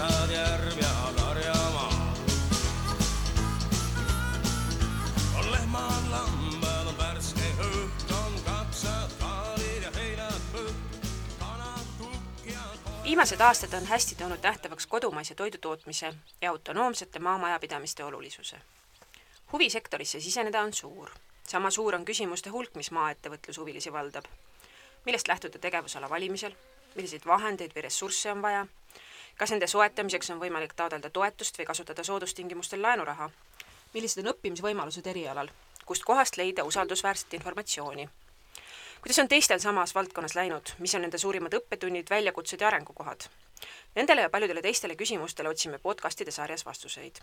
metsad, järv ja karjamaa. On lehmad, lambad, on värske õht, on kapsad, kaalid ja heinad põht, kanad, kukk ja Viimased aastad on hästi toonud nähtavaks kodumaise toidutootmise ja autonoomsete maamajapidamiste olulisuse. Huvi sektorisse siseneda on suur. Sama suur on küsimuste hulk, mis maaettevõtlushuvilisi valdab. Millest lähtuda tegevusala valimisel, milliseid vahendeid või ressursse on vaja, kas nende soetamiseks on võimalik taotleda toetust või kasutada soodustingimustel laenuraha, millised on õppimisvõimalused erialal, kust kohast leida usaldusväärset informatsiooni. Kuidas on teistel samas valdkonnas läinud, mis on nende suurimad õppetunnid, väljakutsed ja arengukohad? Nendele ja paljudele teistele küsimustele otsime podcastide sarjas vastuseid.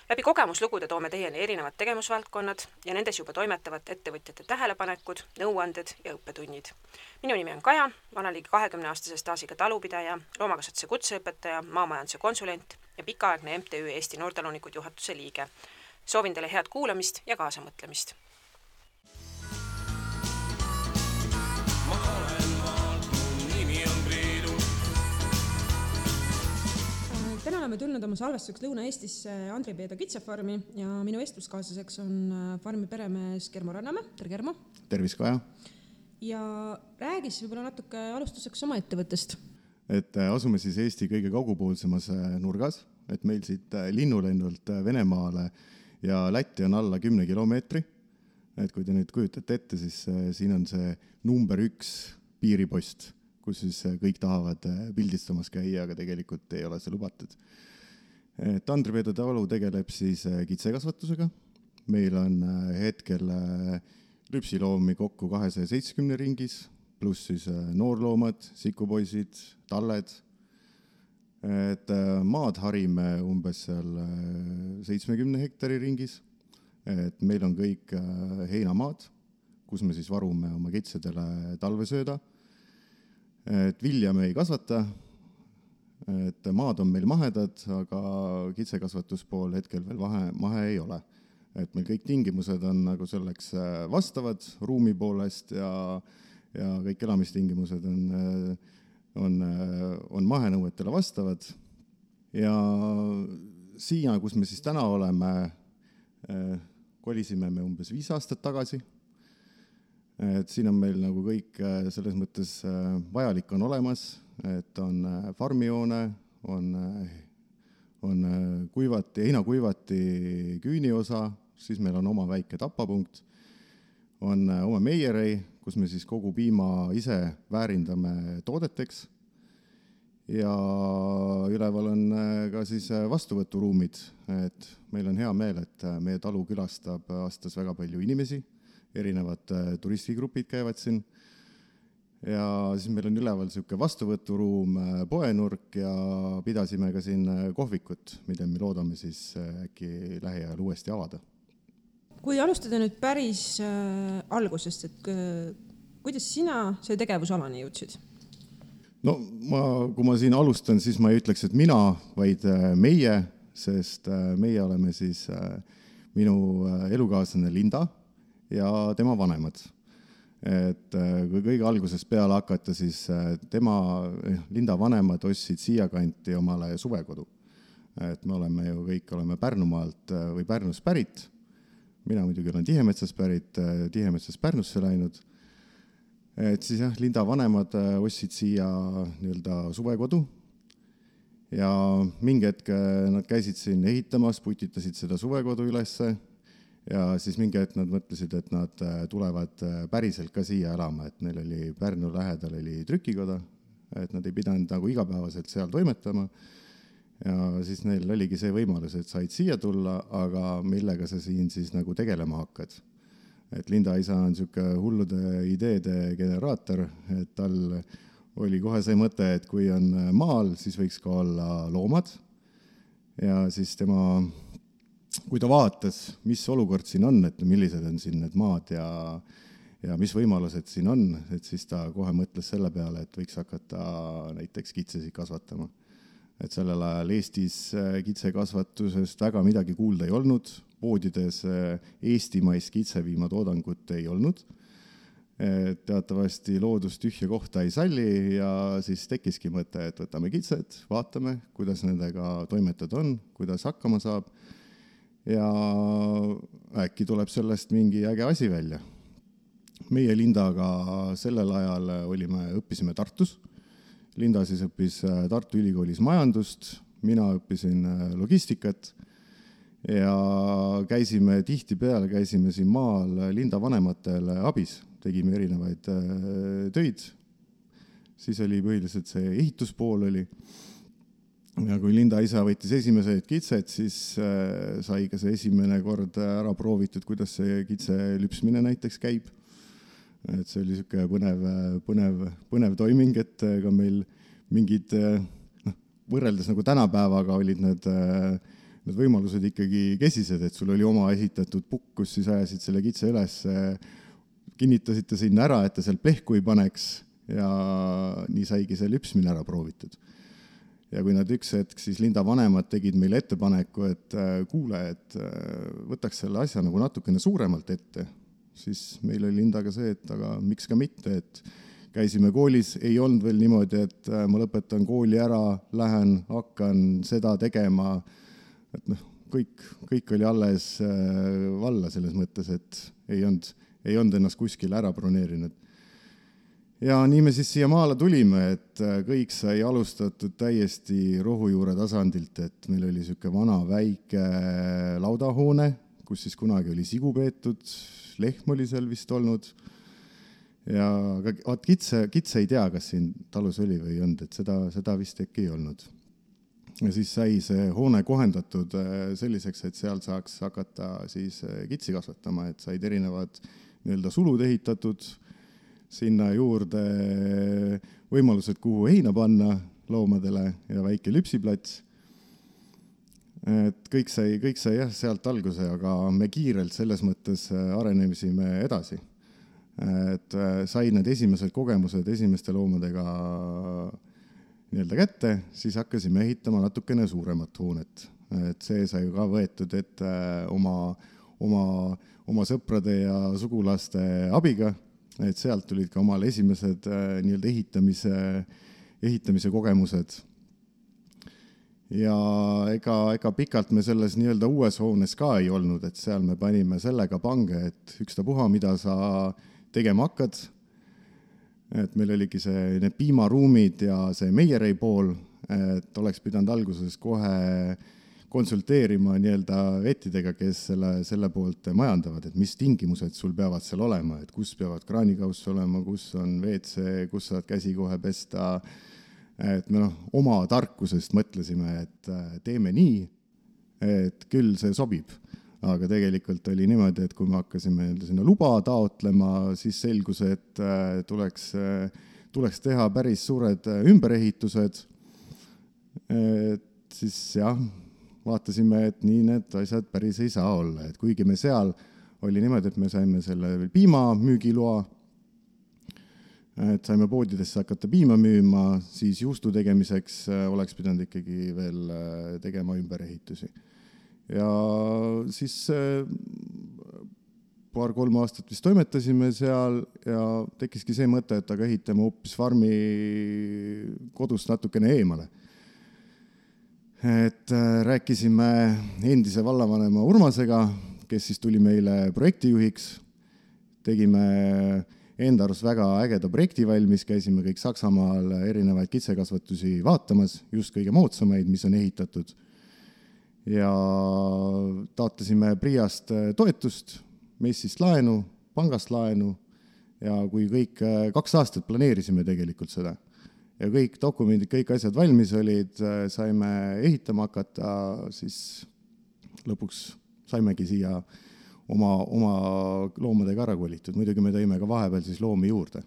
Läbi kogemuslugude toome teieni erinevad tegevusvaldkonnad ja nendes juba toimetavad ettevõtjate tähelepanekud, nõuanded ja õppetunnid. Minu nimi on Kaja, ma olen ligi 20-aastase staažiga talupidaja, loomakasvatuse kutseõpetaja, maamajanduse konsulent ja pikaaegne MTÜ Eesti Noortalunikud juhatuse liige. Soovin teile head kuulamist ja kaasamõtlemist. Täna oleme tulnud oma salvestuseks Lõuna-Eestisse Andri Peedo kitsefarmi ja minu vestluskaaslaseks on farmi peremees Germo Rannamäe. Tere Germo! Tervis, Kaja! Ja räägis võib-olla natuke alustuseks oma ettevõttest. Et asume siis Eesti kõige kaugupoolsemas nurgas, et meil siit linnulennult Venemaale ja Lätti on alla 10 kilomeetri. Et kui te nüüd kujutate ette, siis siin on see number 1 piiripost, kus siis kõik tahavad pildistamas käia, aga tegelikult ei ole see lubatud. Andri Peedo talu tegeleb siis kitsekasvatusega. Meil on hetkel lüpsiloomi kokku 270 ringis, pluss siis noorloomad, sikupoisid, talled. Et maad harime umbes seal 70 hektari ringis. Et meil on kõik heinamaad, kus me siis varume oma kitsedele talvesööda. Et vilja me ei kasvata, et maad on meil mahedad, aga kitsekasvatuspool hetkel veel mahe ei ole. Et meil kõik tingimused on nagu selleks vastavad ruumi poolest ja kõik elamistingimused on mahenõuetele vastavad. Ja siia, kus me siis täna oleme, kolisime me umbes 5 aastat tagasi. Et siin on meil nagu kõik selles mõttes vajalik on olemas, et on farmijoone, on heinakuivati küüniosa, siis meil on oma väike tapapunkt, on oma meierei, kus me siis kogu piima ise väärindame toodeteks ja üleval on ka siis vastuvõturuumid, et meil on hea meel, et meie talu külastab aastas väga palju inimesi. Erinevad turistigrupid käivad siin ja siis meil on üleval selline vastuvõturuum, poenurk ja pidasime ka siin kohvikut, mida me loodame siis äkki lähiajal uuesti avada. Kui alustada nüüd päris algusest, et kuidas sina see tegevusalani jõudsid? No kui ma siin alustan, siis ma ei ütleks, et mina, vaid meie, sest meie oleme siis minu elukaaslane Linda ja tema vanemad. Et kui kõige algusest peale hakata, siis Linda vanemad ostsid siia kanti omale suvekodu. Et me oleme ju kõik Pärnumaalt või Pärnust pärit. Mina muidugi olen Tihemetsas pärit, Tihemetsas Pärnusse läinud. Et siis Linda vanemad ostsid siia suvekodu ja mingi hetk nad käisid siin ehitamas, putitasid seda suvekodu ülesse. Ja siis mingi hetk nad mõtlesid, et nad tulevad päriselt ka siia elama, et neil oli Pärnu lähedal oli trükikoda, et nad ei pidanud nagu igapäevaselt seal toimetama. Ja siis neil oligi see võimalus, et said siia tulla, aga millega sa siin siis nagu tegelema hakkad. Et Linda isa on selline hullude ideede generaator, et tal oli kohe see mõte, et kui on maal, siis võiks ka olla loomad. Ja siis kui ta vaatas, mis olukord siin on, et millised on siin need maad ja mis võimalused siin on, et siis ta kohe mõtles selle peale, et võiks hakata näiteks kitsesid kasvatama. Et sellel ajal Eestis kitsekasvatusest väga midagi kuulda ei olnud, poodides eestimaist kitseviima toodangut ei olnud. teatavasti loodus tühja kohta ei salli ja siis tekkiski mõte, et võtame kitsed, vaatame, kuidas nendega toimetada on, kuidas hakkama saab ja äkki tuleb sellest mingi äge asi välja. Meie Lindaga sellel ajal õppisime Tartus. Linda siis õppis Tartu Ülikoolis majandust, mina õppisin logistikat ja käisime siin maal Linda vanematele abis, tegime erinevaid töid. Siis oli põhiliselt see ehituspool oli. Ja kui Linda isa võttis esimesed kitsed, siis sai ka see esimene kord ära proovitud, kuidas see kitse lüpsmine näiteks käib. Et see oli põnev toiming, et ka meil mingid, võrreldes nagu tänapäevaga olid need võimalused ikkagi kesised, et sul oli oma esitatud pukk, kus siis ajasid selle kitse üles, kinnitasite sinna ära, et ta seal plehku ei paneks ja nii saigi see lüpsmine ära proovitud. Ja kui nad üks hetk, siis Linda vanemad tegid meile ettepaneku, et kuule, et võtaks selle asja nagu natukene suuremalt ette, siis meil oli Lindaga see, et aga miks ka mitte, et käisime koolis, ei olnud veel niimoodi, et ma lõpetan kooli ära, lähen, hakkan seda tegema, et kõik oli alles valla selles mõttes, et ei olnud ennast kuskil ära broneerinud. Ja nii me siis siia maale tulime, et kõik sai alustatud täiesti rohujuure tasandilt, et meil oli selline vana väike laudahoone, kus siis kunagi oli sigu peetud, lehm oli seal vist olnud. Ja kitse ei tea, kas siin talus oli või ei olnud, et seda vist äkki ei olnud. Ja siis sai see hoone kohendatud selliseks, et seal saaks hakata siis kitsi kasvatama, et said erinevad sulud ehitatud, sinna juurde võimalused, kuhu heina panna loomadele ja väike lüpsiplats. Et kõik sai jah, sealt alguse, aga me kiirelt selles mõttes arenemisime edasi. Et sai need esimesed kogemused esimeste loomadega kätte, siis hakkasime ehitama natukene suuremat hoonet. Et see sai ka võetud, et oma sõprade ja sugulaste abiga, et sealt tulid ka omal esimesed ehitamise kogemused. Ja ega pikalt me selles uues hoones ka ei olnud, et seal me panime sellega pange, et ükstapuha, mida sa tegema hakkad. Et meil oligi need piimaruumid ja see Meierei pool, et oleks pidanud alguses kohe konsulteerima vettidega, kes selle poolt majandavad, et mis tingimused sul peavad seal olema, et kus peavad kraanikauss olema, kus on WC, kus saad käsi kohe pesta. Et me oma tarkusest mõtlesime, et teeme nii, et küll see sobib. Aga tegelikult oli niimoodi, et kui me hakkasime sinna luba taotlema, siis selgus, et tuleks teha päris suured ümberehitused. Et siis jah, vaatasime, et nii need asjad päris ei saa olla. Et kuigi me seal oli niimoodi, et me saime selle piimamüügiloa, et saime poodidesse hakata piima müüma, siis juustu tegemiseks oleks pidanud ikkagi veel tegema ümberehitusi. Ja siis 2-3 aastat vist toimetasime seal ja tekkiski see mõte, et aga ehitame hoopis farmi kodust natukene eemale. Et rääkisime endise vallavanema Urmasega, kes siis tuli meile projektijuhiks. Tegime enda arust väga ägeda projekti valmis, käisime kõik Saksamaal erinevaid kitsekasvatusi vaatamas, just kõige moodsamaid, mis on ehitatud. Ja taotlesime Priast toetust, Messist laenu, pangast laenu ja kui kõik 2 aastat planeerisime tegelikult seda. Ja kõik dokumendid, kõik asjad valmis olid, saime ehitama hakata, siis lõpuks saimegi siia oma loomadega ära kolitud. Muidugi me tõime ka vahepeal siis loomi juurde.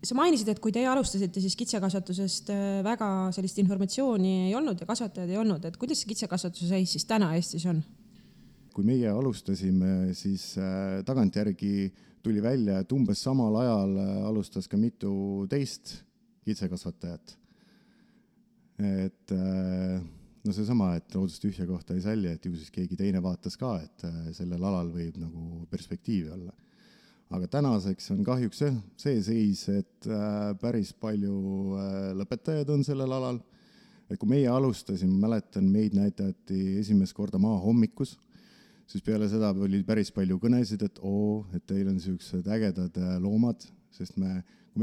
Sa mainisid, et kui teie alustasite, siis kitsekasvatusest väga sellist informatsiooni ei olnud ja kasvatajad ei olnud. Et kuidas see kitsekasvatuse seis siis täna Eestis on? Kui meie alustasime, siis tagantjärgi tuli välja, et umbes samal ajal alustas ka mitu teist kitsekasvatajat. Et seesama, et loodus tühja kohta ei salli, et ju siis keegi teine vaatas ka, et sellel alal võib nagu perspektiivi olla. aga tänaseks on kahjuks see seis, et päris palju lõpetajaid on sellel alal. Et kui meie alustasime, mäletan, meid näidati esimest korda Maahommikus, siis peale seda oli päris palju kõnesid, et et teil on sellised ägedad loomad, sest kui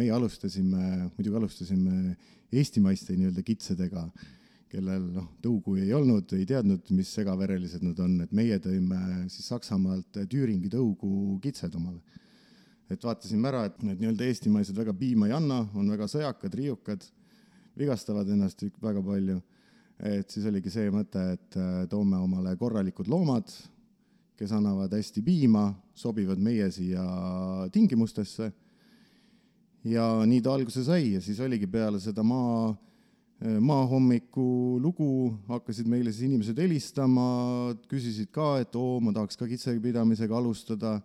meie muidugi alustasime eestimaiste nii-öelda kitsedega, kellel tõugu ei olnud, ei teadnud, mis segaverelised nad on, et meie tõime siis Saksamaalt Thüringi tõugu kitsed omale. Et vaatasime ära, et need nii-öelda eestimaised väga piima ei anna, on väga sõjakad, riiukad, vigastavad ennast väga palju. Et siis oligi see mõte, et toome omale korralikud loomad, kes annavad hästi piima, sobivad meie siia tingimustesse. Ja nii ta alguse sai ja siis oligi peale seda Maahommiku lugu, hakkasid meile siis inimesed helistama, küsisid ka, et ma tahaks ka kitsepidamisega alustada,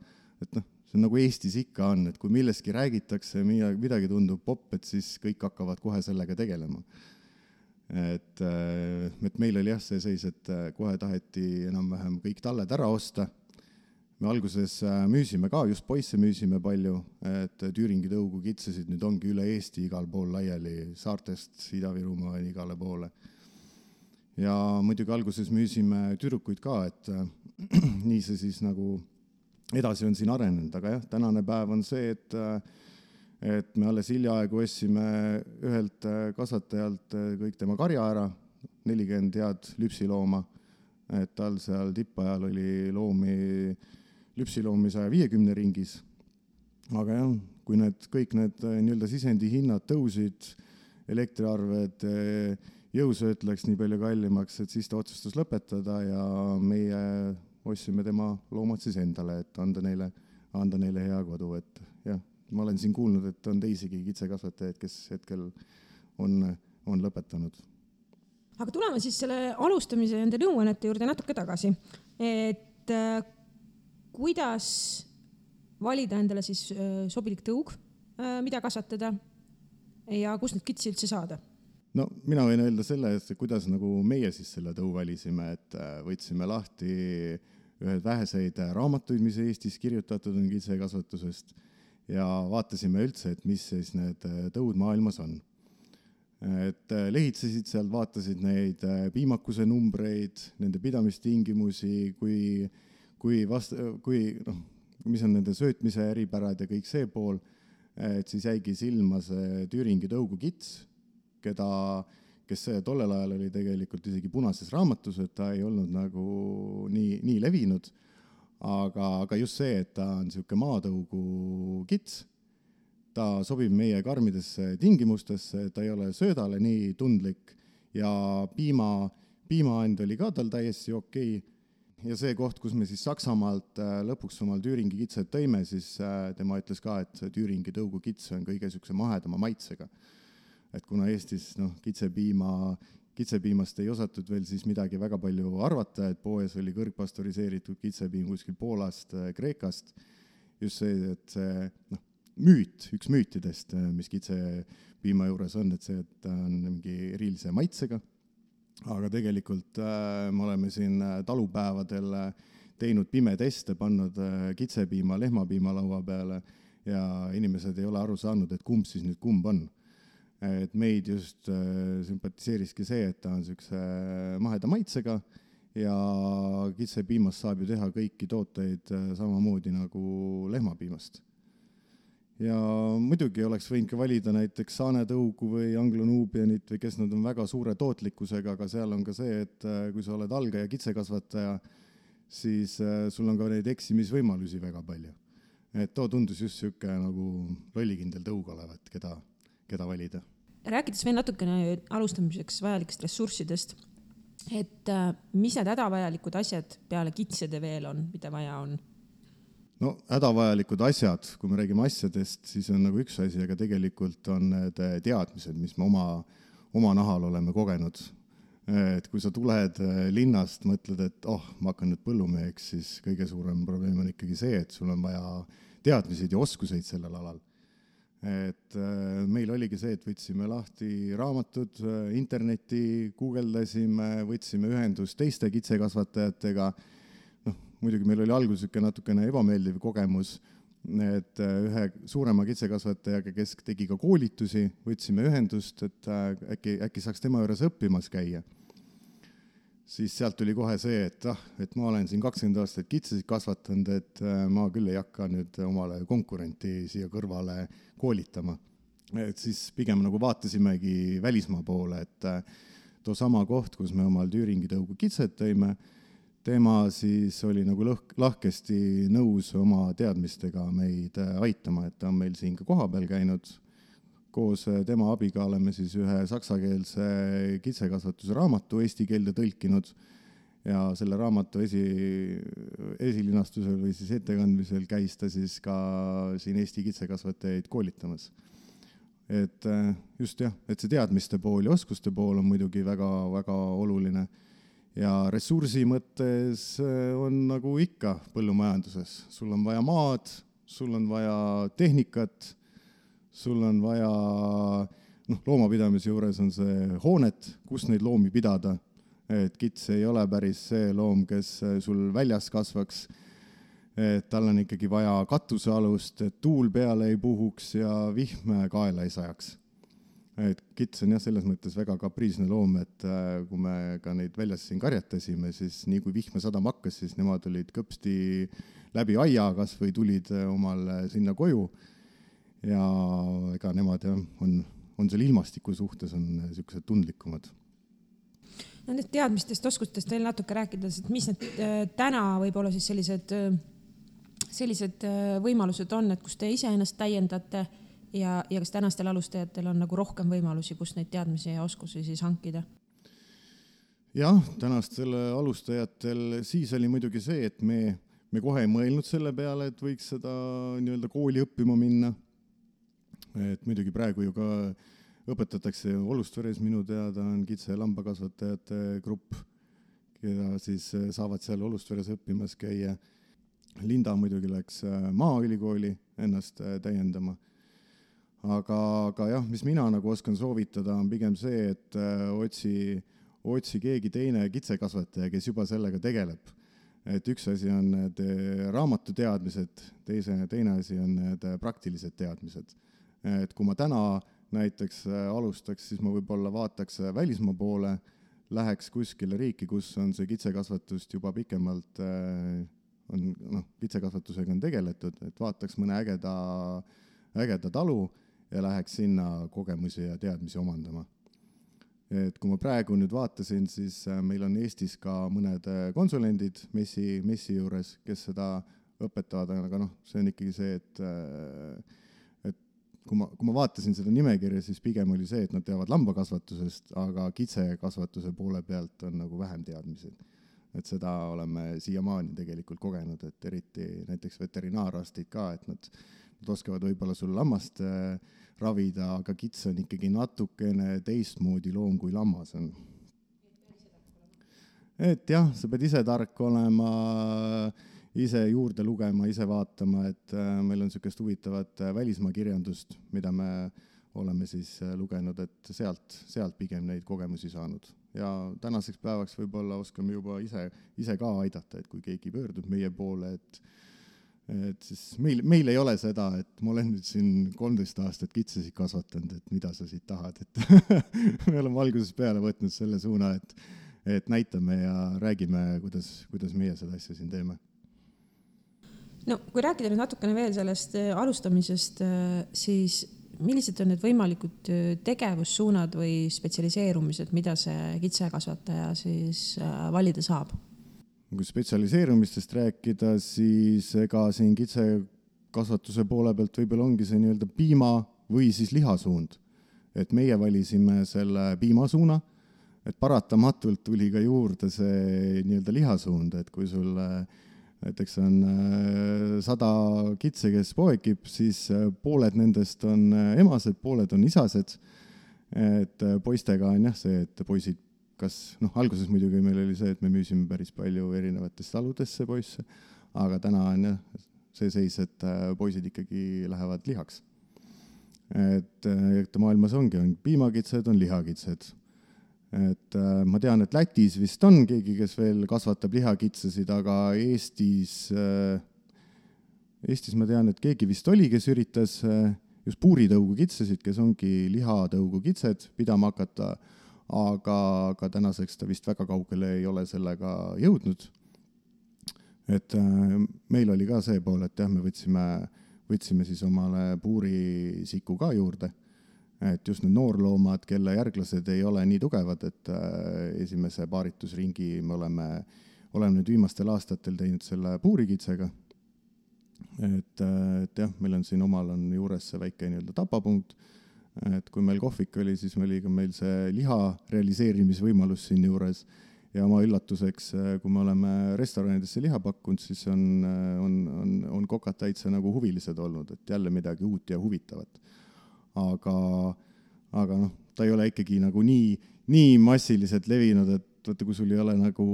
et see on nagu Eestis ikka on, et kui millestki räägitakse, midagi tundub popp, et siis kõik hakkavad kohe sellega tegelema. Et meil oli see seis, et kohe taheti enam-vähem kõik talled ära osta. Me alguses müüsime ka, just poisse müüsime palju, et Thüringi tõugu kitsesid nüüd ongi üle Eesti igal pool laiali, saartest Ida-Virumaa igale poole. Ja muidugi alguses müüsime tüdrukuid ka, et nii see siis nagu edasi on siin arenenud, aga jah, tänane päev on see, et me alles hiljaaegu ostsime ühelt kasvatajalt kõik tema karja ära, 40 head lüpsilooma, et tal seal tippajal oli lüpsiloomi 150 ringis. Aga jah, kui kõik need nii-öelda sisendi hinnad tõusid, elektriarved, jõusööt läks nii palju kallimaks, et siis ta otsustas lõpetada ja meie ostsime tema loomad siis endale, et anda neile hea kodu. Et jah, ma olen siin kuulnud, et on teisigi kitsekasvatajaid, kes hetkel on lõpetanud. Aga tuleme siis selle alustamise ja enda nõuannete juurde natuke tagasi. Et kuidas valida endale siis sobilik tõug, mida kasvatada ja kus need kitsi üldse saada? No mina võin öelda selle, et kuidas nagu meie siis selle tõu valisime, et võtsime lahti ühed väheseid raamatuid, mis Eestis kirjutatud on kitsekasvatusest ja vaatasime üldse, et mis siis need tõud maailmas on. Et lehitsesid sealt, vaatasid neid piimakuse numbreid, nende pidamistingimusi, mis on nende söötmise eripärad ja kõik see pool, et siis jäigi silma see Thüringi tõugu kits, kes tollel ajal oli tegelikult isegi punases raamatus, et ta ei olnud nagu nii levinud, aga just see, et ta on selline maatõugu kits, ta sobib meie karmidesse tingimustesse, ta ei ole söödale nii tundlik ja piimaand oli ka tal täiesti okei. Ja see koht, kus me siis Saksamaalt lõpuks omal Thüringi kitsed tõime, siis tema ütles ka, et Thüringi tõugu kits on kõige sükse mahedama maitsega. Et kuna Eestis kitsepiimast ei osatud veel siis midagi väga palju arvata, et poes oli kõrgpastoriseeritud kitsepiim kuskil Poolast, Kreekast, just see, et see üks müütidest, mis kitsepiima juures on, et see, et ta on mingi erilise maitsega. Aga tegelikult me oleme siin talupäevadel teinud pimeteste, pannud kitsepiima, lehmapiima laua peale ja inimesed ei ole aru saanud, et kumb siis nüüd kumb on. Et meid just sümpatiseeriski see, et ta on selline maheda maitsega ja kitsepiimast saab ju teha kõiki tooteid samamoodi nagu lehmapiimast. Ja muidugi oleks võinud ka valida näiteks saanetõugu või anglonuubianit või kes nad on väga suure tootlikkusega, aga seal on ka see, et kui sa oled algaja kitsekasvataja, siis sul on ka neid eksimisvõimalusi väga palju. Et too tundus just selline nagu lollikindel tõug olevat, keda valida. Rääkides veel natukene alustamiseks vajalikest ressurssidest, et mis need hädavajalikud asjad peale kitsede veel on, mida vaja on? No hädavajalikud asjad, kui me räägime asjadest, siis on nagu üks asi, aga tegelikult on need teadmised, mis me oma nahal oleme kogenud. Et kui sa tuled linnast, mõtled, et ma hakkan nüüd põllumeheks, siis kõige suurem probleem on ikkagi see, et sul on vaja teadmiseid ja oskuseid sellel alal. Et meil oligi see, et võtsime lahti raamatud, interneti, guugeldasime, võtsime ühendust teiste kitsekasvatajatega. Muidugi meil oli alguses natukene ebameeldiv kogemus, et ühe suurema kitsekasvatajaga, kes tegi ka koolitusi, võtsime ühendust, et äkki saaks tema juures õppimas käia. Siis sealt tuli kohe see, et ma olen siin 20 aastat kitsesid kasvatanud, et ma küll ei hakka nüüd omale konkurenti siia kõrvale koolitama. Et siis pigem nagu vaatasimegi välismaa poole, et too sama koht, kus me omal Tüüringi tõugu kitsed tõime, tema siis oli nagu lahkesti nõus oma teadmistega meid aitama, et ta on meil siin ka kohapeal käinud. Koos tema abiga oleme siis ühe saksakeelse kitsekasvatuse raamatu eesti keelde tõlkinud ja selle raamatu esilinastusel või siis ettekandmisel käis ta siis ka siin Eesti kitsekasvatajaid koolitamas. Et just jah, et see teadmiste pool ja oskuste pool on muidugi väga, väga oluline. Ja ressursi mõttes on nagu ikka põllumajanduses. Sul on vaja maad, sul on vaja tehnikat, sul on vaja, loomapidamise juures on see hoonet, kus neid loomi pidada. Et kits ei ole päris see loom, kes sul väljas kasvaks. Et tal on ikkagi vaja katusealust, et tuul peale ei puhuks ja vihm kaela ei sajaks. Et kits on jah selles mõttes väga kapriisne loom, et kui me ka neid väljas siin karjatasime, siis nii kui vihme sadama hakkas, siis nemad olid kõpsti läbi aia kas või tulid omal sinna koju. Ja ega nemad on selle ilmastiku suhtes on sellised tundlikumad. Nendest teadmistest, oskustest veel natuke rääkides, et mis need täna võib-olla siis sellised võimalused on, et kus te ise ennast täiendate ja kas tänastel alustajatel on nagu rohkem võimalusi, kus neid teadmisi ja oskusi siis hankida? Jah, tänastel alustajatel siis oli muidugi see, et me kohe ei mõelnud selle peale, et võiks seda nii-öelda kooli õppima minna. Et muidugi praegu ju ka õpetatakse Olustveres minu teada on kitse- ja lambakasvatajate grupp, keda siis saavad seal Olustveres õppimas käia. Linda muidugi läks Maaülikooli ennast täiendama. Aga jah, mis mina nagu oskan soovitada, on pigem see, et otsi keegi teine kitsekasvataja, kes juba sellega tegeleb. Et üks asi on need raamatuteadmised, teine asi on need praktilised teadmised. Et kui ma täna näiteks alustaks, siis ma võib-olla vaataks välismaa poole, läheks kuskile riiki, kus on see kitsekasvatust juba pikemalt, kitsekasvatusega on tegeletud, et vaataks mõne ägeda talu ja läheks sinna kogemusi ja teadmisi omandama. Et kui ma praegu nüüd vaatasin, siis meil on Eestis ka mõned konsulendid messi juures, kes seda õpetavad, aga see on ikkagi see, et kui ma vaatasin seda nimekirja, siis pigem oli see, et nad teavad lambakasvatusest, aga kitsekasvatuse poole pealt on nagu vähem teadmised. Et seda oleme siiamaani tegelikult kogenud, et eriti näiteks veterinaarastid ka, et nad oskavad võib-olla sul lammast ravida, aga kits on ikkagi natukene teistmoodi loom kui lammas on. Et jah, sa pead ise tark olema, ise juurde lugema, ise vaatama, et meil on sellist huvitavat välismaa kirjandust, mida me oleme siis lugenud, et sealt pigem neid kogemusi saanud. Ja tänaseks päevaks võib-olla oskame juba ise ka aidata, et kui keegi pöördub meie poole, et siis meil ei ole seda, et ma olen nüüd siin 13 aastat kitsesid kasvatanud, et mida sa siit tahad, et me oleme alguses peale võtnud selle suuna, et näitame ja räägime, kuidas meie seda asja siin teeme. No, kui rääkida nüüd natukene veel sellest alustamisest, siis millised on need võimalikud tegevussuunad või spetsialiseerumised, mida see kitsekasvataja siis valida saab? Kui spetsialiseerumistest rääkida, siis ega siin kitsekasvatuse poole pealt võib-olla ongi see nii-öelda piima või siis lihasuund. Et meie valisime selle piimasuuna, et paratamatult tuli ka juurde see nii-öelda lihasuund, et kui sul näiteks on 100 kitse, kes poekib, siis pooled nendest on emased, pooled on isased. Et poistega on jah see, et poisid alguses muidugi meil oli see, et me müüsime päris palju erinevatest taludesse poisse, aga täna on jah see seis, et poisid ikkagi lähevad lihaks. Et maailmas on piimakitsed, on lihakitsed. Et ma tean, et Lätis vist on keegi, kes veel kasvatab lihakitsesid, aga Eestis Eestis ma tean, et keegi vist oli, kes üritas just puuritõugu kitsesid, kes ongi lihatõugu kitsed pidama hakata, aga tänaseks ta vist väga kaugele ei ole sellega jõudnud. Et meil oli ka see pool, et jah, me võtsime siis omale puurisiku ka juurde, et just need noorloomad, kelle järglased ei ole nii tugevad, et esimese paaritusringi me oleme nüüd viimastel aastatel teinud selle puurikitsega. Et jah, meil on siin omal on juures see väike nii-öelda tapapunkt, et kui meil kohvik oli, siis oli ka meil see liha realiseerimisvõimalus siin juures ja oma üllatuseks, kui me oleme restoranidesse liha pakkunud, siis on kokad täitsa nagu huvilised olnud, et jälle midagi uut ja huvitavat. Aga noh, ta ei ole ikkagi nagu nii massiliselt levinud, et vaata, kui sul ei ole nagu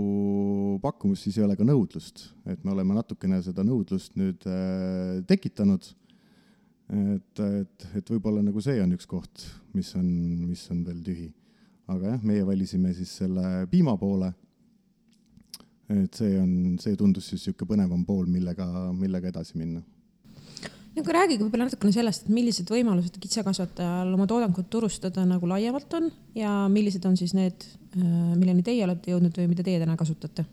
pakkumus, siis ei ole ka nõudlust. Et me oleme natukene seda nõudlust nüüd tekitanud. Et võib-olla nagu see on üks koht, mis on veel tühi. Aga jah, meie valisime siis selle piima poole. Et see tundus siis siuke põnevam pool, millega edasi minna. Aga räägige võib-olla natukene sellest, et millised võimalused kitsekasvatajal oma toodangut turustada nagu laiemalt on ja millised on siis need, milleni teie olete jõudnud või mida teie täna kasutate?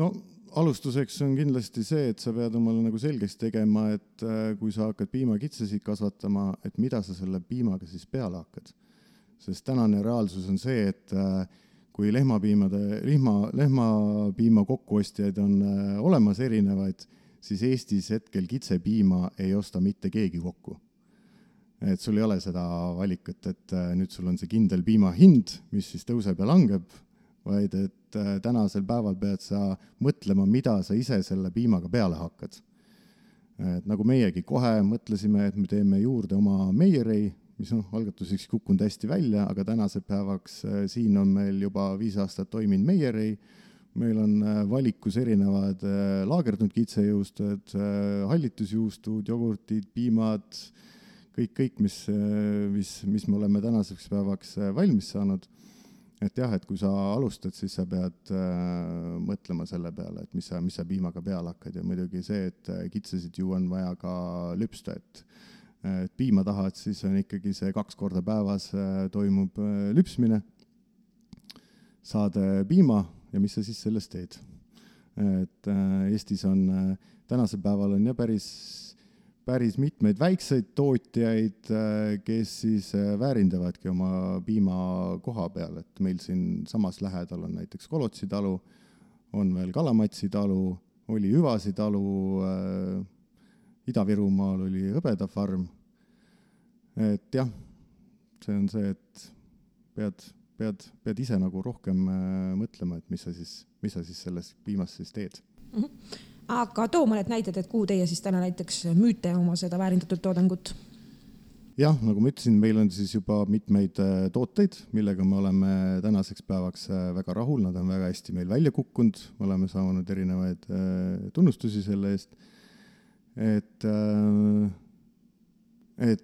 No alustuseks on kindlasti see, et sa pead omale nagu selgeks tegema, et kui sa hakkad piimakitsesid kasvatama, et mida sa selle piimaga siis peale hakkad. Sest tänane reaalsus on see, et kui lehmapiima kokkuostjaid on olemas erinevaid, siis Eestis hetkel kitsepiima ei osta mitte keegi kokku. Et sul ei ole seda valikut, et nüüd sul on see kindel piima hind, mis siis tõuseb ja langeb, vaid et tänasel päeval pead sa mõtlema, mida sa ise selle piimaga peale hakkad. Et nagu meiegi kohe mõtlesime, et me teeme juurde oma meierei, mis algatuseks kukkunud hästi välja, aga tänase päevaks siin on meil juba 5 aastat toiminud meierei. Meil on valikus erinevad laagerdunud kitsejõustud, hallitusjuustud, jogurtid, piimad, kõik mis me oleme tänaseks päevaks valmis saanud. Et jah, et kui sa alustad, siis sa pead mõtlema selle peale, et mis sa piimaga peale hakkad ja muidugi see, et kitsesid ju on vaja ka lüpsta, et piima tahad, siis on ikkagi see 2 korda päevas toimub lüpsmine, saad piima ja mis sa siis sellest teed. Et Eestis on tänasel päeval on ja päris mitmeid väikseid tootjaid, kes siis väärindavadki oma piima koha peal, et meil siin samas lähedal on näiteks Kolotsi talu, on veel Kalamatsi talu, oli Hüvasi talu, Ida-Virumaal oli Hõbeda farm. Et jah, see on see, et pead ise nagu rohkem mõtlema, et mis sa siis sellest piimast siis teed. Aga too mõned näited, et kuhu teie siis täna näiteks müüte oma seda väärindatud toodangut? Jah, nagu ma ütlesin, meil on siis juba mitmeid tooteid, millega me oleme tänaseks päevaks väga rahul, nad on väga hästi meil välja kukkunud, me oleme saanud erinevaid tunnustusi selle eest. Et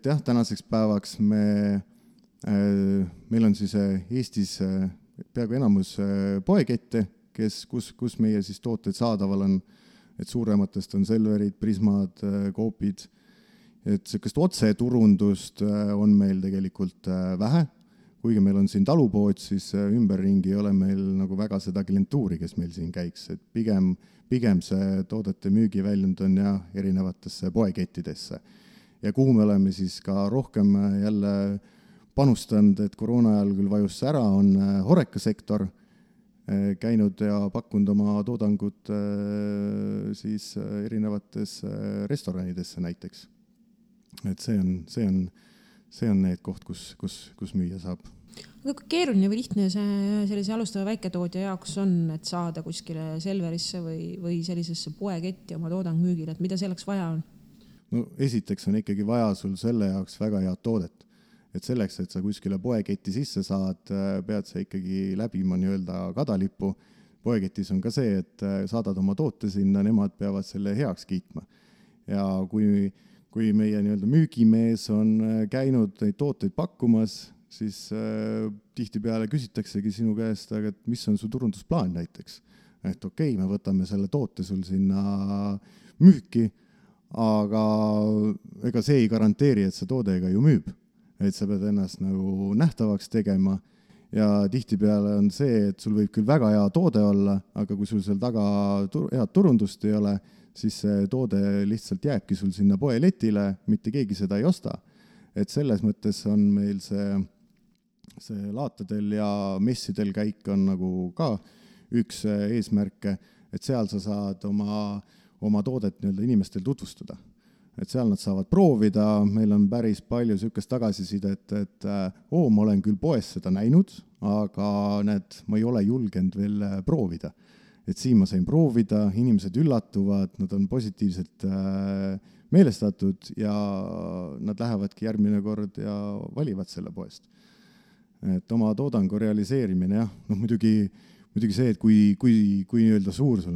jah, tänaseks päevaks meil on siis Eestis peaaegu enamus poekette, kus meie siis tooted saadaval on, et suurematest on Selverid, Prismad, Coopid, et sellist otseturundust on meil tegelikult vähe, kuigi meil on siin talupood, siis ümberringi ei ole meil nagu väga seda klientuuri, kes meil siin käiks, et pigem see toodete müügiväljund on ja erinevatesse poekettidesse. Ja kuhu me oleme siis ka rohkem jälle panustanud, et koroona ajal küll vajus ära, on horekasektor käinud ja pakkunud oma toodangut siis erinevates restoranidesse näiteks. Et see on need koht, kus müüa saab. Aga kui keeruline või lihtne see sellise alustava väiketoodja jaoks on, et saada kuskile Selverisse või sellisesse poeketti oma toodang müügile, et mida selleks vaja on? No esiteks on ikkagi vaja sul selle jaoks väga head toodet. Et selleks, et sa kuskile poeketti sisse saad, pead sa ikkagi läbima nii-öelda kadalippu. Poeketis on ka see, et saadad oma toote sinna, nemad peavad selle heaks kiitma. Ja kui meie nii-öelda müügimees on käinud neid tooteid pakkumas, siis tihtipeale küsitaksegi sinu käest, aga et mis on su turundusplaan näiteks. Et okei, me võtame selle toote sul sinna müüki, aga ega see ei garanteeri, et see toode ka ju müüb. Et sa pead ennast nagu nähtavaks tegema ja tihtipeale on see, et sul võib küll väga hea toode olla, aga kui sul seal taga head turundust ei ole, siis see toode lihtsalt jääbki sul sinna poeletile, mitte keegi seda ei osta. Et selles mõttes on meil see laatadel ja messidel käik on nagu ka üks eesmärke, et seal sa saad oma toodet inimestel tutvustada. Et seal nad saavad proovida, meil on päris palju sükest tagasisidet, et ma olen küll poes seda näinud, aga ma ei ole julgenud veel proovida. Et siin ma sain proovida, inimesed üllatuvad, nad on positiivselt meelestatud ja nad lähevadki järgmine kord ja valivad selle poest. Et oma toodangu realiseerimine, muidugi see, et kui nii-öelda suur sa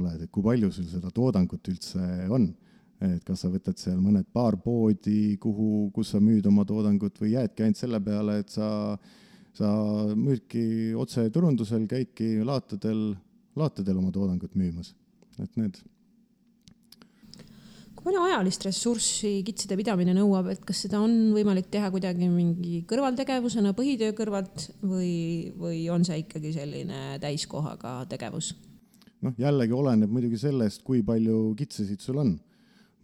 oled, et kui palju sul seda toodangut üldse on, et kas sa võtad seal mõned paar poodi, kus sa müüd oma toodangut või jäädki ainult selle peale, et sa müüdki otse turundusel, käidki laatadel oma toodangut müümas. Et need. Kui palju ajalist ressurssi kitsede pidamine nõuab, et kas seda on võimalik teha kuidagi mingi kõrvaltegevusena põhitöö kõrvalt või on see ikkagi selline täiskohaga tegevus? Jällegi oleneb muidugi sellest, kui palju kitsesid sul on.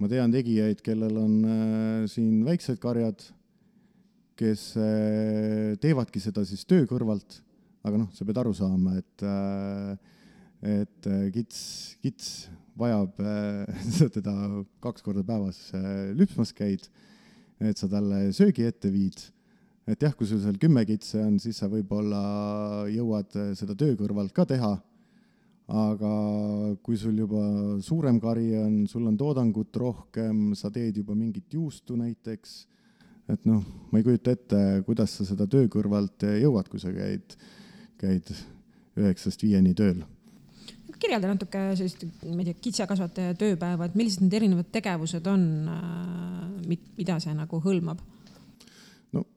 Ma tean tegijaid, kellel on siin väiksed karjad, kes teevadki seda siis töö kõrvalt, aga sa pead aru saama, et kits vajab teda 2 korda päevas lüpsmas käid, et sa talle söögi ette viid. Et jah, kui sul seal 10 kitse on, siis sa võib-olla jõuad seda töö kõrvalt ka teha, aga kui sul juba suurem kari on, sul on toodangut rohkem, sa teed juba mingit juustu näiteks, et ma ei kujuta ette, kuidas sa seda töö kõrvalt jõuad, kui sa käid 9-5 tööl. Kirjelda natuke sellist, kitsekasvataja tööpäeva, et millised need erinevad tegevused on, mida see nagu hõlmab?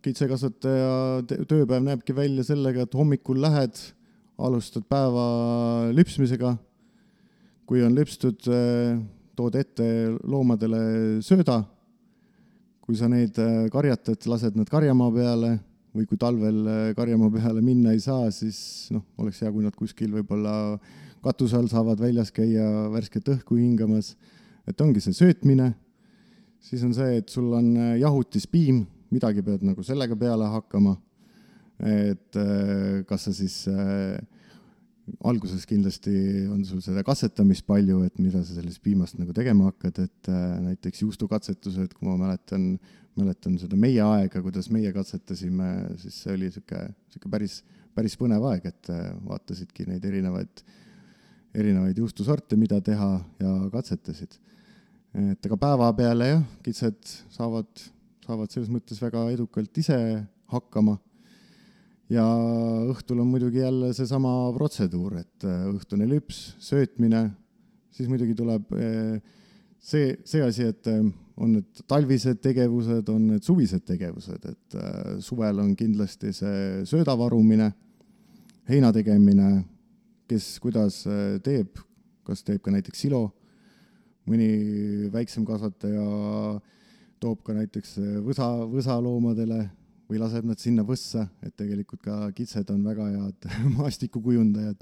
Kitsekasvataja tööpäev näebki välja sellega, et hommikul lähed, alustad päeva lüpsmisega. Kui on lüpstud, tood ette loomadele sööda. Kui sa neid karjatad, lased nad karjamaa peale või kui talvel karjamaa peale minna ei saa, siis oleks hea, kui nad kuskil võib-olla katuse all saavad väljas käia värsket õhku hingamas. Et ongi see söötmine. Siis on see, et sul on jahutispiim, midagi pead nagu sellega peale hakkama. Et kas sa siis alguses kindlasti on sul seda katsetamist palju, et mida sa sellest piimast nagu tegema hakkad, et näiteks juustukatsetused, kui ma mäletan seda meie aega, kuidas meie katsetasime, siis see oli siuke päris põnev aeg, et vaatasidki neid erinevaid juustusorte, mida teha ja katsetasid. Et aga päeva peale kitsed saavad selles mõttes väga edukalt ise hakkama. Ja õhtul on muidugi jälle seesama protseduur, et õhtune lüps, söötmine, siis muidugi tuleb see asi, et on need talvised tegevused, on need suvised tegevused, et suvel on kindlasti see söödavarumine, heina tegemine, kes kuidas teeb, kas teeb ka näiteks silo, mõni väiksem kasvataja toob ka näiteks võsaloomadele või laseb nad sinna võssa, et tegelikult ka kitsed on väga head maastikukujundajad.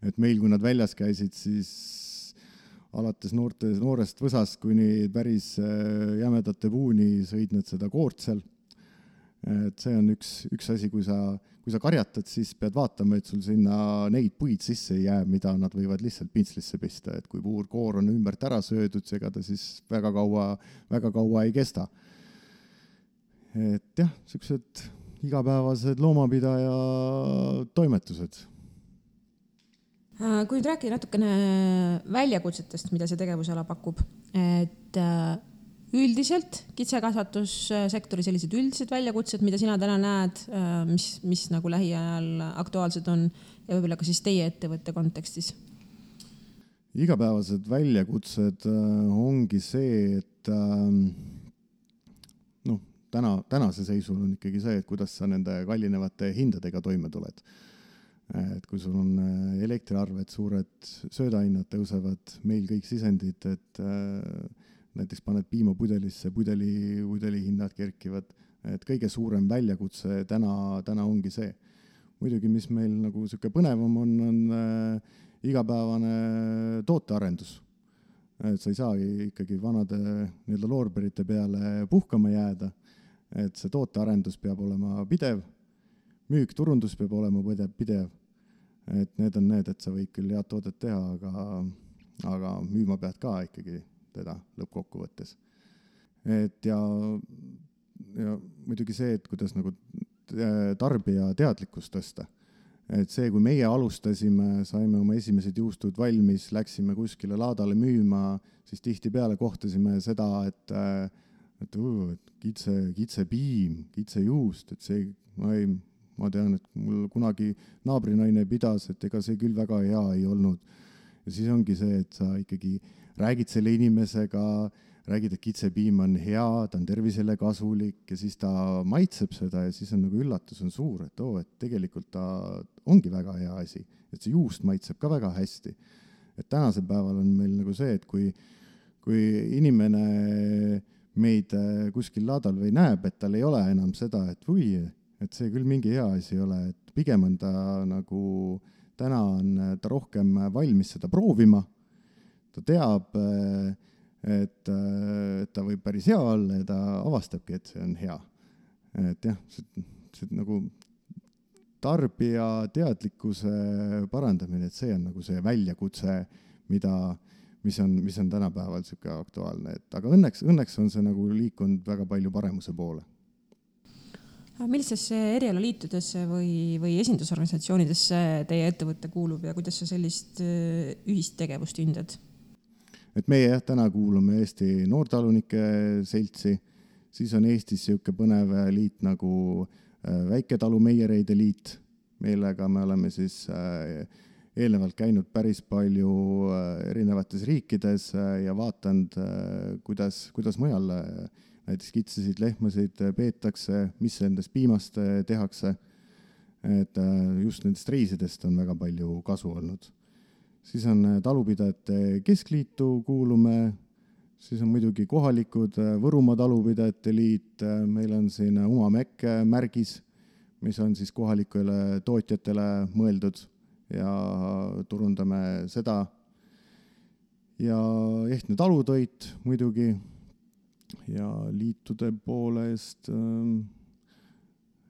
Et meil, kui nad väljas käisid, siis alates noorest võsast kuni päris jämedate puuni sõid nad seda koort seal. Et see on üks asi, kui sa karjatad, siis pead vaatama, et sul sinna neid puid sisse ei jää, mida nad võivad lihtsalt pintslisse pista. Et kui puur koor on ümbert ära söödud, ega ta siis väga kaua ei kesta. Et jah, sellised igapäevased loomapidaja toimetused. Kui nüüd rääkida natukene väljakutsetest, mida see tegevusala pakub, et üldiselt kitsekasvatussektori sellised üldised väljakutsed, mida sina täna näed, mis nagu lähiajal aktuaalsed on ja võib-olla ka siis teie ettevõtte kontekstis? Igapäevased väljakutsed ongi see, et tänase seisul on ikkagi see, et kuidas sa nende kallinevate hindadega toime tuled. Et kui sul on elektriarved, suured söödahinnad tõusevad, meil kõik sisendid, et näiteks paned piimapudelisse, pudeli hinnad kerkivad, et kõige suurem väljakutse täna ongi see. Muidugi, mis meil nagu siuke põnevam on igapäevane tootearendus. Et sa ei saagi ikkagi vanade nii-öelda loorberite peale puhkama jääda, et see tootearendus peab olema pidev, müük, turundus peab olema pidev, et need on need, et sa võid küll head toodet teha, aga müüma pead ka ikkagi teda lõppkokkuvõttes. Et ja muidugi see, et kuidas nagu tarbija teadlikkust tõsta. Et see, kui meie alustasime, saime oma esimesed juustud valmis, läksime kuskile laadale müüma, siis tihtipeale kohtasime seda, et kitsepiim, kitsejuust, et see, ma tean, et mul kunagi naabrinaine pidas, et ega see küll väga hea ei olnud. Ja siis ongi see, et sa ikkagi räägid selle inimesega, räägid, et kitsepiim on hea, ta on tervisele kasulik ja siis ta maitseb seda ja siis on nagu üllatus on suur, et et tegelikult ta ongi väga hea asi, et see juust maitseb ka väga hästi. Et tänasel päeval on meil nagu see, et kui inimene meid kuskil laadal või näeb, et tal ei ole enam seda, et see küll mingi hea asi ei ole, et pigem on ta nagu, täna on ta rohkem valmis seda proovima, ta teab, et ta võib päris hea olla ja ta avastabki, et see on hea. Et jah, see nagu tarbija teadlikkuse parandamine, et see on nagu see väljakutse, mis on tänapäeval siuke aktuaalne. Aga õnneks on see nagu liikunud väga palju paremuse poole. Millistesse erialaliitudesse või esindusorganisatsioonidesse teie ettevõtte kuulub ja kuidas sa sellist ühist tegevust hindad? Et meie täna kuulume Eesti Noortalunike Seltsi, siis on Eestis siuke põnev liit nagu Väiketalumeiereide liit, millega me oleme siis eelnevalt käinud päris palju erinevates riikides ja vaatanud, kuidas mujal näiteks kitsesid lehmasid peetakse, mis endast piimast tehakse, et just nendest reisidest on väga palju kasu olnud. Siis on talupidajate keskliitu kuulume, siis on muidugi kohalikud Võrumaa talupidajate liit, meil on siin Umamäkk märgis, mis on siis kohalikele tootjatele mõeldud ja turundame seda. Ja Ehtne talutoit muidugi ja liitude poolest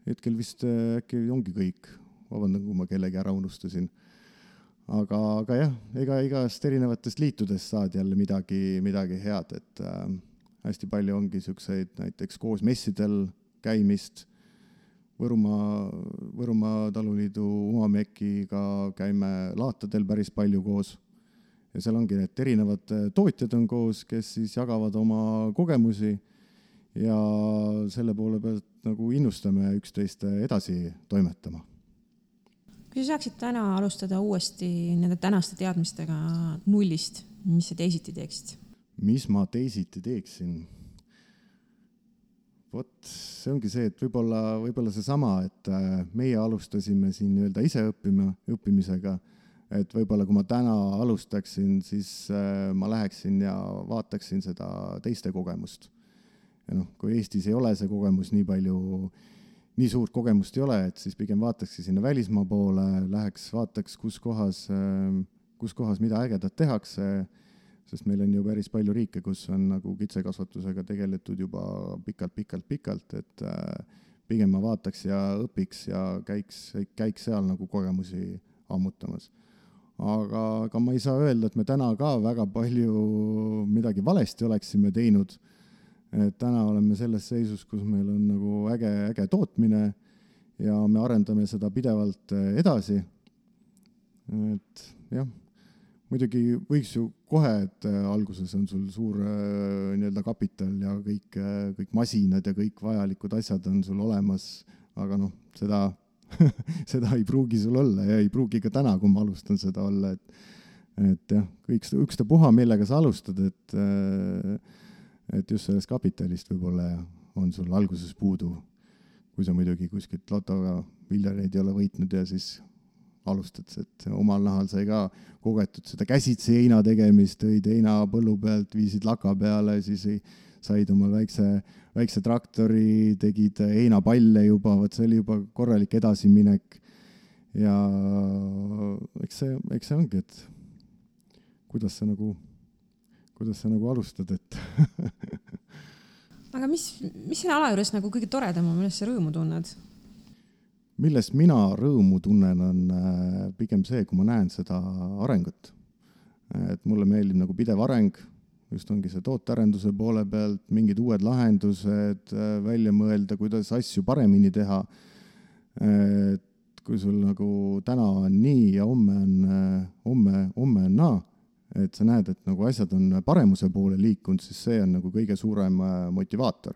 hetkel vist äkki ongi kõik, vabandan, kui ma kellegi ära unustasin. Aga jah, igast erinevatest liitudest saad jälle midagi head, et hästi palju ongi siukseid näiteks koos messidel käimist. Võrumaa taluliidu Umamäkiga käime laatadel päris palju koos. Ja seal ongi need erinevad tootjad on koos, kes siis jagavad oma kogemusi ja selle poole pealt nagu innustame üksteist edasi toimetama. Kui sa saaksid täna alustada uuesti nende tänaste teadmistega nullist, mis sa teisiti teeksid? Mis ma teisiti teeksin? See ongi see, et võib-olla see sama, et meie alustasime siin nii-öelda ise õppimisega, et võib-olla kui ma täna alustaksin, siis ma läheksin ja vaataksin seda teiste kogemust. Ja kui Eestis ei ole see kogemus nii suurt kogemust ei ole, et siis pigem vaataks sinna välismaa poole, vaataks, kus kohas mida ägedat tehakse, sest meil on ju päris palju riike, kus on nagu kitsekasvatusega tegeletud juba pikalt, et pigem ma vaataks ja õpiks ja käiks seal nagu kogemusi ammutamas. Aga ma ei saa öelda, et me täna ka väga palju midagi valesti oleksime teinud. Et täna oleme selles seisus, kus meil on nagu äge tootmine ja me arendame seda pidevalt edasi. Et jah, muidugi võiks ju kohe, et alguses on sul suur nii-öelda kapital ja kõik masinad ja kõik vajalikud asjad on sul olemas, aga seda ei pruugi sul olla ja ei pruugi ka täna, kui ma alustan seda olla, et jah, ükstapuha, millega sa alustad, et just sellest kapitalist võib-olla on sul alguses puudu, kui sa muidugi kuskilt lotoga miljoneid ei ole võitnud ja siis alustad, et omal nahal sai ka kogetud seda käsitsi heina tegemist, tõid heina põllu pealt, viisid laka peale, siis said omal väikse traktori, tegid heinapalle juba, see oli juba korralik edasiminek ja eks see ongi, et kuidas sa nagu alustad, et aga mis selle ala juures nagu kõige toredam on, millest sa rõõmu tunned? Millest mina rõõmu tunnen, on pigem see, kui ma näen seda arengut. Et mulle meeldib nagu pidev areng, just ongi see tootearenduse poole pealt, mingid uued lahendused välja mõelda, kuidas asju paremini teha. Et kui sul nagu täna on nii ja homme on naa, et sa näed, et nagu asjad on paremuse poole liikunud, siis see on nagu kõige suurem motivaator.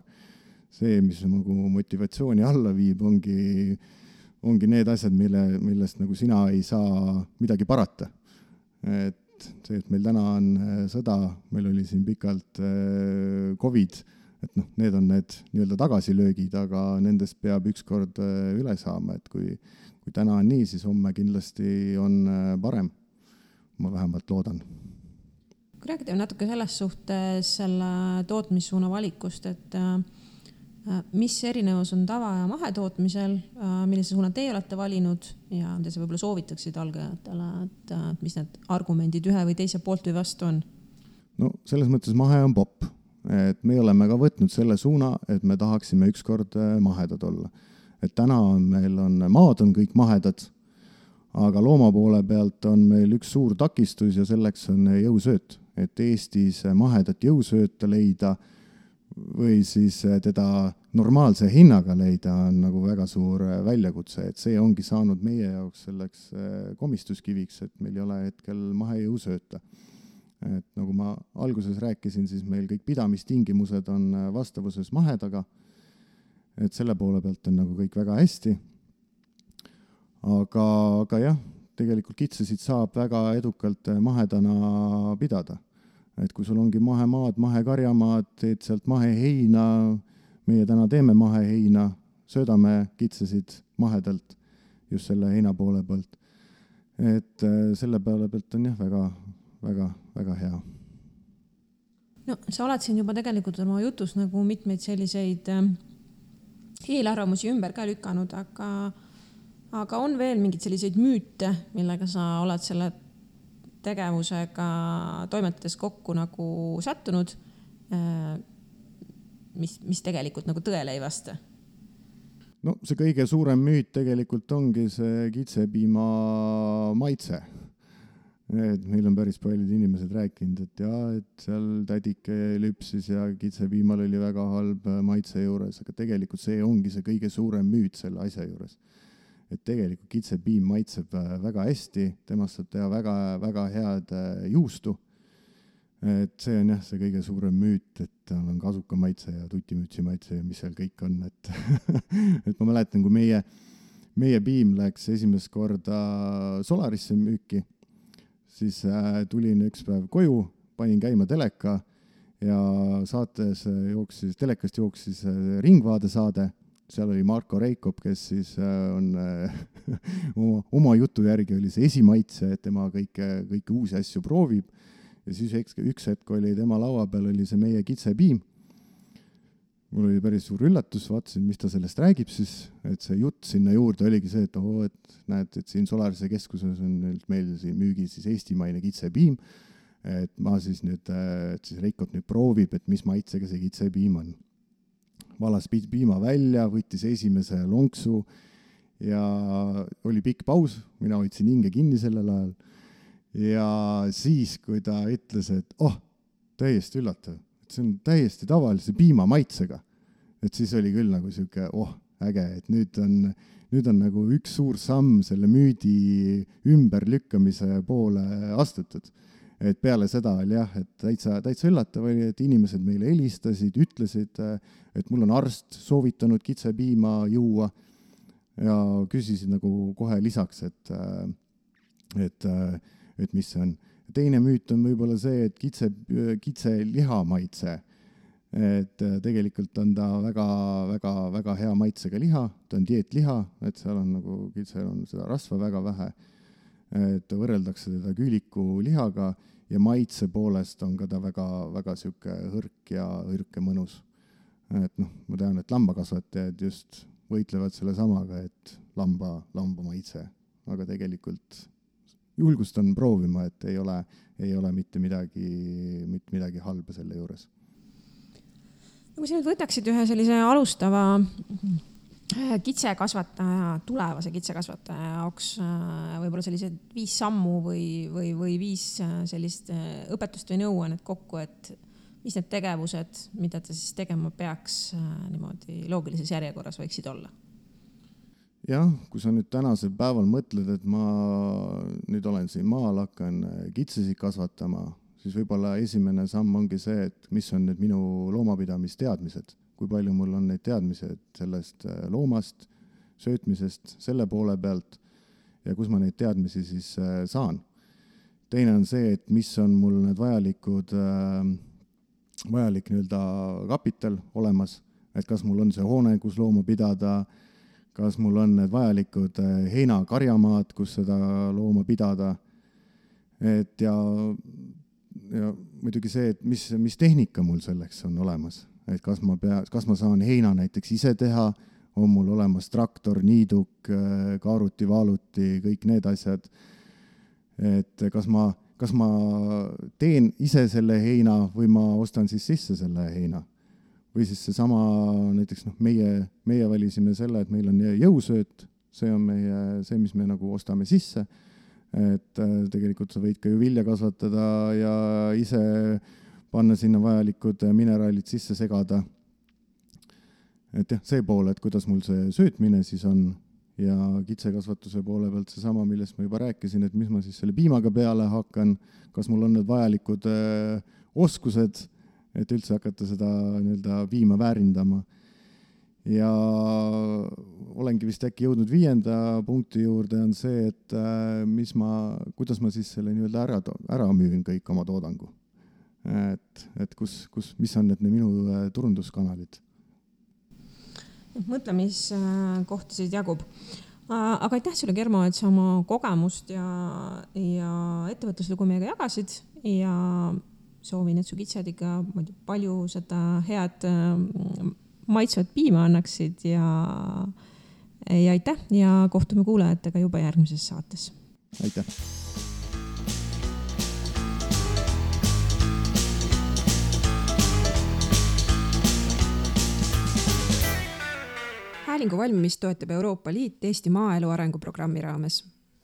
See, mis nagu motivatsiooni alla viib, ongi need asjad, millest nagu sina ei saa midagi parata. Et see, et meil täna on sõda, meil oli siin pikalt COVID, et need on need nii-öelda tagasilöögid, aga nendest peab ükskord üle saama, et kui täna on nii, siis homme kindlasti on parem. Ma vähemalt loodan. Kui räägite natuke selles suhtes selle tootmissuuna valikust, et mis erinevus on tava- ja mahetootmisel, millise suuna teie olete valinud ja te võib-olla soovitaksid algajatele, et mis need argumendid ühe või teise poolt või vastu on? No selles mõttes mahe on popp. Et me oleme ka võtnud selle suuna, et me tahaksime ükskord mahedad olla. Et täna meil maad on kõik mahedad, aga looma poole pealt on meil üks suur takistus ja selleks on jõusööt. Et Eestis mahedat jõusööta leida või siis teda normaalse hinnaga leida on nagu väga suur väljakutse. Et see ongi saanud meie jaoks selleks komistuskiviks, et meil ei ole hetkel mahejõusööta. Et nagu ma alguses rääkisin, siis meil kõik pidamistingimused on vastavuses mahedaga. Et selle poole pealt on nagu kõik väga hästi. Aga jah, tegelikult kitsesid saab väga edukalt mahedana pidada. Et kui sul ongi mahemaad, mahekarjamaad, teed sealt maheheina, meie täna teeme maheheina, söödame kitsesid mahedalt just selle heina poole pealt. Et selle peale pealt on jah väga hea. No, sa oled siin juba tegelikult oma jutus nagu mitmeid selliseid eelarvamusi ümber ka lükanud, aga on veel mingid selliseid müüte, millega sa oled selle tegevusega toimetades kokku nagu sattunud, mis tegelikult nagu tõele ei vasta? No see kõige suurem müüt tegelikult ongi see kitsepiima maitse. Et meil on päris paljud inimesed rääkinud, et seal tädike lüpsis ja kitsepiimal oli väga halb maitse juures, aga tegelikult see ongi see kõige suurem müüt selle asja juures. Et tegelikult kitsepiim maitseb väga hästi, temast saab teha väga head juustu. Et see on jah see kõige suurem müüt, et tal on kasuka maitse ja tutimütsi maitse ja mis seal kõik on. Et ma mäletan, kui meie piim läks esimest korda Solarisse müüki, siis tulin üks päev koju, panin käima teleka ja telekast jooksis Ringvaade saade. Seal oli Marko Reikop, kes siis on oma jutu järgi oli see esimaitse, et tema kõike uusi asju proovib. Ja siis üks hetk oli tema laua peal oli see meie kitsepiim. Mul oli päris suur üllatus, vaatasin, mis ta sellest räägib siis, et see jutt sinna juurde oligi see, et näed, et siin Solarise keskuses on meil siin müügi siis eestimaine kitsepiim, et ma siis nüüd, et siis Reikop nüüd proovib, et mis maitsega see kitsepiim on. Valas piima välja, võttis esimese lonksu ja oli pikk paus, mina hoidsin hinge kinni sellel ajal. Ja siis, kui ta ütles, et täiesti üllatav, et see on täiesti tavalise piima maitsega, et siis oli küll nagu siuke, äge, et nüüd on nagu üks suur samm selle müüdi ümberlükkamise poole astutud. Et peale seda oli jah, et täitsa üllatav oli, et inimesed meile helistasid, ütlesid, et mul on arst soovitanud kitsepiima juua ja küsisid nagu kohe lisaks, et mis see on. Teine müüt on võib-olla see, et kitse liha maitse, et tegelikult on ta väga hea maitsega liha, ta on dieetliha, et seal on nagu kitsel on seda rasva väga vähe, et võrreldakse teda küülikulihaga ja maitse poolest on ka ta väga, väga sihuke hõrk ja mõnus. Et noh, ma tean, et lambakasvatajad just võitlevad selle samaga, et lamba maitse, aga tegelikult julgustan proovima, et ei ole mitte midagi halba selle juures. Kui sa nüüd võtaksid ühe sellise alustava tulevase kitsekasvataja jaoks võib-olla sellised 5 sammu või 5 sellist õpetust või nõuannet kokku, et mis need tegevused, mida ta siis tegema peaks niimoodi loogilises järjekorras võiksid olla? Jah, kui sa nüüd tänasel päeval mõtled, et ma nüüd olen siin maal, hakkan kitsesid kasvatama, siis võib-olla esimene samm ongi see, et mis on need minu loomapidamisteadmised, kui palju mul on neid teadmised sellest loomast, söötmisest, selle poole pealt ja kus ma neid teadmisi siis saan. Teine on see, et mis on mul need vajalik nii-öelda kapital olemas, et kas mul on see hoone, kus looma pidada, kas mul on need vajalikud heinakarjamaad, kus seda looma pidada, et ja muidugi see, et mis tehnika mul selleks on olemas, et kas ma saan heina näiteks ise teha, on mul olemas traktor, niiduk, kaaruti, vaaluti, kõik need asjad, et kas ma teen ise selle heina või ma ostan siis sisse selle heina. Või siis seesama, näiteks meie valisime selle, et meil on jõusööt, see on see, mis me nagu ostame sisse, et tegelikult sa võid ka ju vilja kasvatada ja ise panna sinna vajalikud mineraalid sisse segada. Et jah, see pool, et kuidas mul see söötmine siis on ja kitsekasvatuse poole pealt seesama, millest ma juba rääkisin, et mis ma siis selle piimaga peale hakkan, kas mul on need vajalikud oskused, et üldse hakata seda nii-öelda piima väärindama. Ja olengi vist äkki jõudnud 5. punkti juurde on see, et kuidas ma siis selle nii-öelda ära müün kõik oma toodangu. Et mis on need minu turunduskanalid. Mõtlemiskohtasid jagub. Aga aitäh sulle, Germo, et sa oma kogemust ja ettevõtluslugu meiega jagasid ja soovin, et su kitsed ikka palju seda head maitsvat piima annaksid ja aitäh ja kohtume kuulajatega juba järgmises saates. Aitäh! Häälingu valmimist toetab Euroopa Liit Eesti maaelu arenguprogrammi raames.